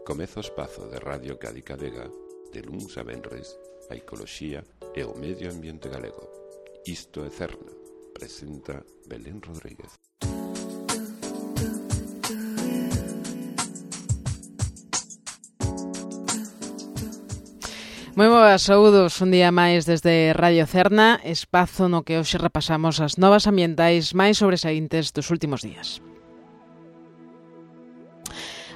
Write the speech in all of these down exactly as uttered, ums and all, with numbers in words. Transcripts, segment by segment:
Comeza o espazo de Radio Cádiz Vega de luns a venres a ecoloxía e o medio ambiente galego. Isto é Cerna, presenta Belén Rodríguez. Moi boas, saúdos un día máis desde Radio Cerna, espazo no que hoxe repasamos as novas ambientais máis sobresaíntes dos últimos días.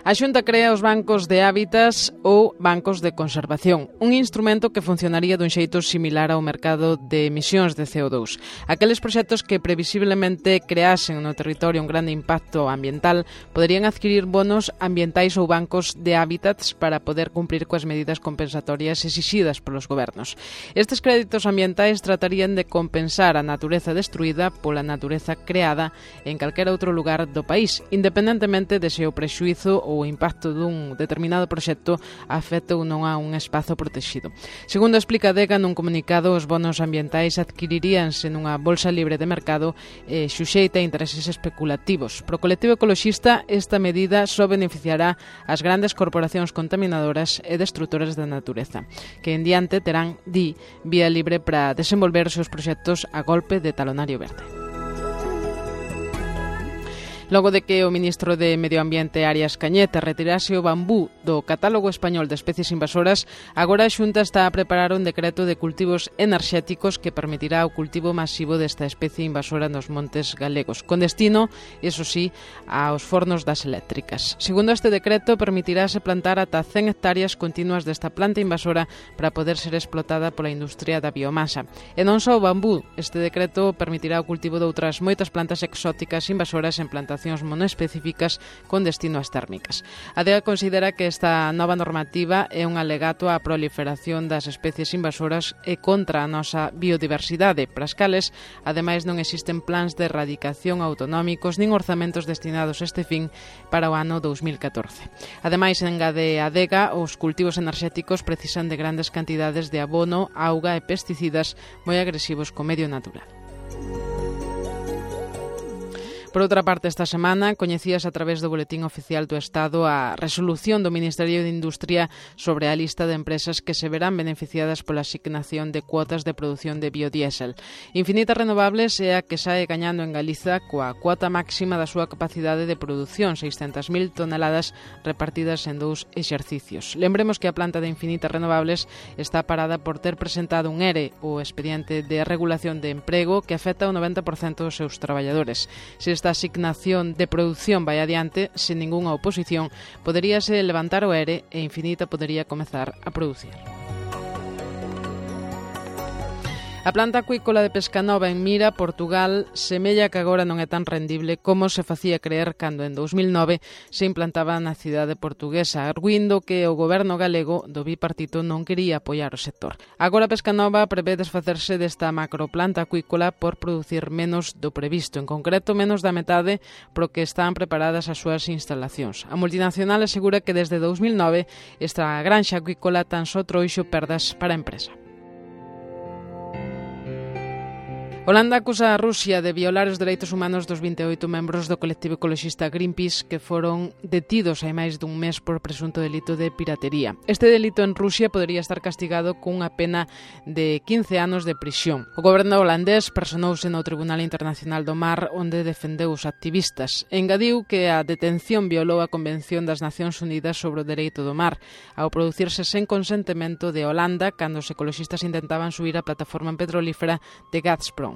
A Xunta crea os bancos de hábitats ou bancos de conservación, un instrumento que funcionaría dun xeito similar ao mercado de emisións de C O dous. Aqueles proxectos que previsiblemente creasen no territorio un grande impacto ambiental poderían adquirir bonos ambientais ou bancos de hábitats para poder cumprir coas medidas compensatorias exixidas polos gobernos. Estes créditos ambientais tratarían de compensar a natureza destruída pola natureza creada en calquera outro lugar do país, independentemente de se o prexuízo ou o impacto dun determinado proxecto afecta ou non a un espazo protegido. Segundo explica Adega nun comunicado, os bonos ambientais adquiriríanse nunha bolsa libre de mercado e xuxeita a intereses especulativos. Pro colectivo ecoloxista, esta medida só beneficiará as grandes corporacións contaminadoras e destructoras da natureza, que en diante terán, di, vía libre para desenvolver os seus proxectos a golpe de talonario verde. Logo de que o ministro de Medio Ambiente, Arias Cañete, retirase o bambú do catálogo español de especies invasoras, agora a Xunta está a preparar un decreto de cultivos enerxéticos que permitirá o cultivo masivo desta especie invasora nos montes galegos, con destino, eso sí, aos fornos das eléctricas. Segundo este decreto, permitirase plantar ata cen hectáreas continuas desta planta invasora para poder ser explotada pola industria da biomasa. E non só o bambú, este decreto permitirá o cultivo de outras moitas plantas exóticas invasoras en plantacións monoespecíficas con destino ás térmicas. A D E A considera que esta nova normativa é un alegato á proliferación das especies invasoras e contra a nosa biodiversidade, para as cales, ademais, non existen plans de erradicación autonómicos nin orzamentos destinados a este fin para o ano dous mil catorce. Ademais, engade a D E A, os cultivos enerxéticos precisan de grandes cantidades de abono, auga e pesticidas moi agresivos co medio natural. Por outra parte, esta semana coñecías a través do Boletín Oficial do Estado a resolución do Ministerio de Industria sobre a lista de empresas que se verán beneficiadas pola asignación de cuotas de produción de biodiésel. Infinitas Renovables é a que sae gañando en Galiza coa cuota máxima da súa capacidade de produción, seiscentas mil toneladas repartidas en dous exercicios. Lembremos que a planta de Infinitas Renovables está parada por ter presentado un E R E, o expediente de regulación de emprego, que afecta ao noventa por cento dos seus traballadores. Se esta asignación de produción vai adiante, sen ningunha oposición, poderíase levantar o E R E e Infinita podería comezar a producir. A planta acuícola de Pescanova en Mira, Portugal, semella que agora non é tan rendible como se facía creer cando en dous mil nove se implantaba na cidade portuguesa, arguindo que o goberno galego do bipartito non quería apoiar o sector. Agora Pescanova prevé desfacerse desta macroplanta acuícola por producir menos do previsto, en concreto menos da metade pro que están preparadas as súas instalacións. A multinacional asegura que desde dous mil nove esta granxa acuícola tan só trouxo perdas para a empresa. Holanda acusa a Rusia de violar os dereitos humanos dos vinte e oito membros do colectivo ecoloxista Greenpeace que foron detidos hai máis dun mes por presunto delito de piratería. Este delito en Rusia podería estar castigado cunha pena de quince anos de prisión. O goberno holandés personouse no Tribunal Internacional do Mar onde defendeu os activistas. Engadiu que a detención violou a Convención das Nacións Unidas sobre o Dereito do Mar ao producirse sen consentimento de Holanda cando os ecoloxistas intentaban subir a plataforma petrolífera de Gazprom.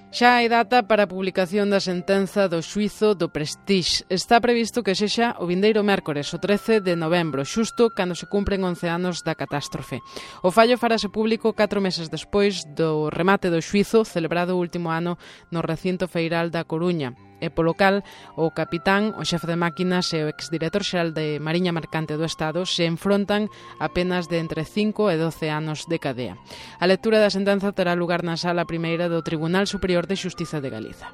Xa hai data para a publicación da sentenza do xuízo do Prestige. Está previsto que sexa o vindeiro mércores, o trece de novembro, xusto cando se cumpren once anos da catástrofe. O fallo farase público catro meses despois do remate do xuízo celebrado o último ano no recinto feiral da Coruña. E polo cal o capitán, o xefe de máquinas e o exdirector xeral de Mariña Mercante do Estado se enfrontan a penas de entre cinco e doce anos de cadea. A lectura da sentenza terá lugar na sala primeira do Tribunal Superior de Xustiza de Galiza.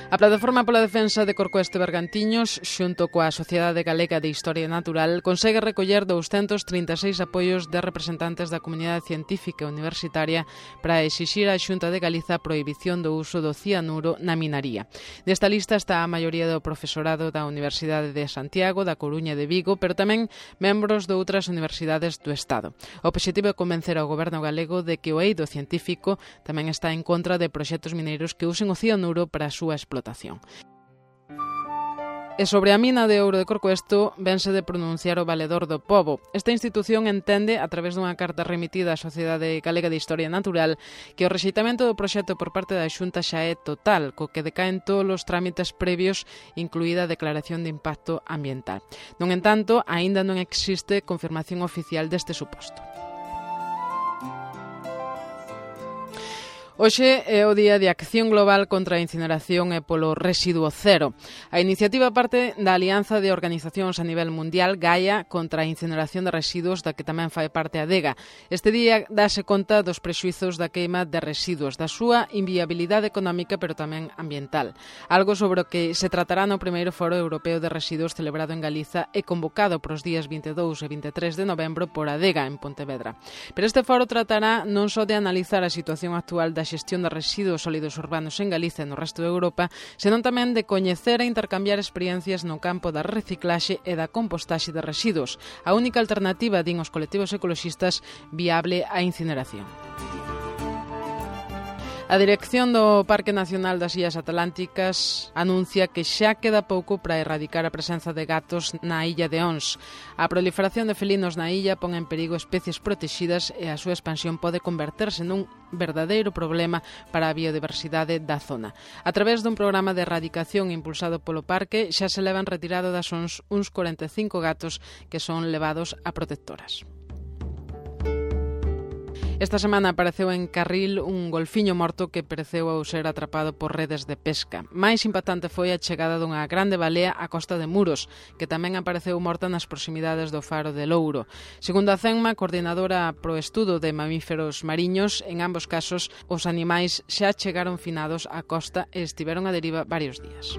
A Plataforma pola Defensa de Corcoesto e Bergantiños, xunto coa Sociedade Galega de Historia Natural, consegue recoller douscentos trinta e seis apoios de representantes da comunidade científica e universitaria para exixir á Xunta de Galiza a prohibición do uso do cianuro na minaría. Desta lista está a maioría do profesorado da Universidade de Santiago, da Coruña e de Vigo, pero tamén membros de outras universidades do Estado. O obxectivo é convencer ao goberno galego de que o eido científico tamén está en contra de proxectos mineiros que usen o cianuro para a súa explotación. E sobre a mina de ouro de Corcoesto vense de pronunciar o Valedor do Pobo. Esta institución entende, a través dunha carta remitida á Sociedade Galega de Historia Natural, que o rexeitamento do proxecto por parte da Xunta xa é total, co que decaen todos os trámites previos, incluída a declaración de impacto ambiental. Non entanto, aínda non existe confirmación oficial deste suposto. Hoxe é o Día de Acción Global contra a Incineración e polo Residuo Cero. A iniciativa parte da Alianza de Organizacións a nivel mundial Gaia contra a incineración de residuos, da que tamén fai parte a Adega. Este día dáse conta dos prexuizos da queima de residuos, da súa inviabilidade económica pero tamén ambiental. Algo sobre o que se tratará no primeiro Foro Europeo de Residuos celebrado en Galiza e convocado para os días vinte e dous e vinte e tres de novembro por Adega en Pontevedra. Pero este foro tratará non só de analizar a situación actual da xestión de residuos sólidos urbanos en Galiza e no resto de Europa, senón tamén de coñecer e intercambiar experiencias no campo da reciclaxe e da compostaxe de residuos, a única alternativa, din os colectivos ecoloxistas, viable á incineración. A dirección do Parque Nacional das Illas Atlánticas anuncia que xa queda pouco para erradicar a presenza de gatos na illa de Ons. A proliferación de felinos na illa pon en perigo especies protexidas e a súa expansión pode converterse nun verdadeiro problema para a biodiversidade da zona. A través dun programa de erradicación impulsado polo parque, xa se levan retirado das Ons uns corenta e cinco gatos que son levados a protectoras. Esta semana apareceu en Carril un golfiño morto que pereceu ao ser atrapado por redes de pesca. Mais impactante foi a chegada dunha grande balea á costa de Muros, que tamén apareceu morta nas proximidades do faro de Louro. Segundo a CENMA, coordinadora pro estudo de mamíferos mariños, en ambos casos os animais xa chegaron finados á costa e estiveron a deriva varios días.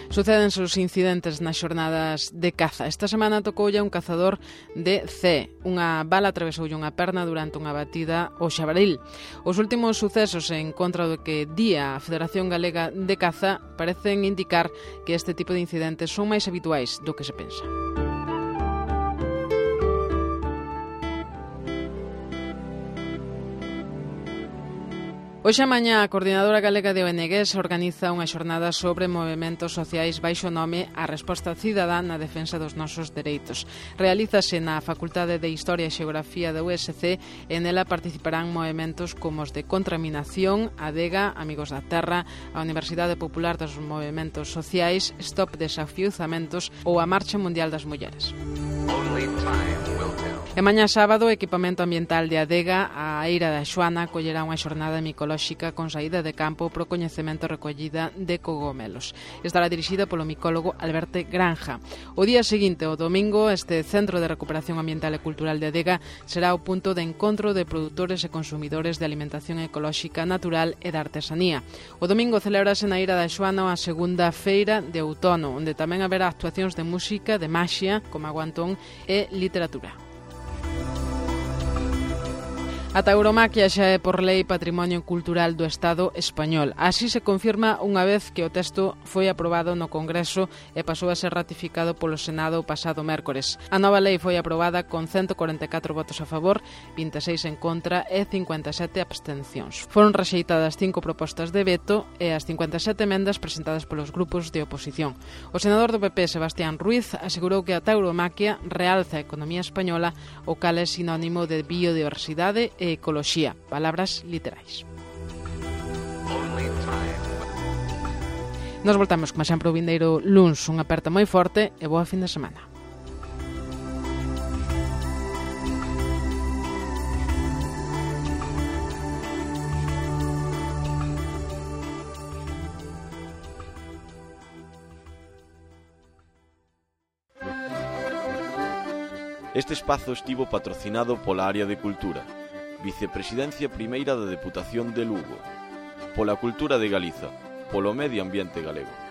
Sucédense os incidentes nas xornadas de caza. Esta semana tocoulle a un cazador de Cee. Unha bala atravesoulle unha perna durante unha batida ao xabaril. Os últimos sucesos en contra do que día a Federación Galega de Caza parecen indicar que este tipo de incidentes son máis habituais do que se pensa. Hoxe a mañá a Coordinadora Galega de O N Gs organiza unha xornada sobre movementos sociais baixo nome A Resposta Cidadá na defensa dos nosos dereitos. Realízase na Facultade de Historia e Xeografía da U S C e nela participarán movementos como os de Contraminación, Adega, Amigos da Terra, a Universidade Popular dos Movementos Sociais, Stop Desafiuzamentos ou a Marcha Mundial das Mulleres. E mañá sábado, o Equipamento Ambiental de Adega, a Eira da Xoana, collerá unha xornada micolóxica con saída de campo pro coñecemento e recollida de cogomelos. Estará dirixida polo micólogo Alberto Granja. O día seguinte, o domingo, este Centro de Recuperación Ambiental e Cultural de Adega será o punto de encontro de produtores e consumidores de alimentación ecolóxica natural e da artesanía. O domingo celebrase na Eira da Xoana a segunda feira de outono, onde tamén haberá actuacións de música, de maxia, como aguantón e literatura. A tauromaquia xa é por lei Patrimonio Cultural do Estado español. Así se confirma unha vez que o texto foi aprobado no Congreso e pasou a ser ratificado polo Senado o pasado mércores. A nova lei foi aprobada con ciento corenta e catro votos a favor, vinte e seis en contra e cincuenta e sete abstencións. Foron rexeitadas cinco propostas de veto e as cincuenta e sete emendas presentadas polos grupos de oposición. O senador do P P, Sebastián Ruiz, asegurou que a tauromaquia realza a economía española, o cal é sinónimo de biodiversidade e ecoloxía, palabras literais. Nos voltamos, como sempre, o vindeiro luns. Unha aperta moi forte e boa fin de semana. Este espazo estivo patrocinado pola Área de Cultura, Vicepresidencia Primeira da Deputación de Lugo. pola cultura de Galiza, polo medio ambiente galego.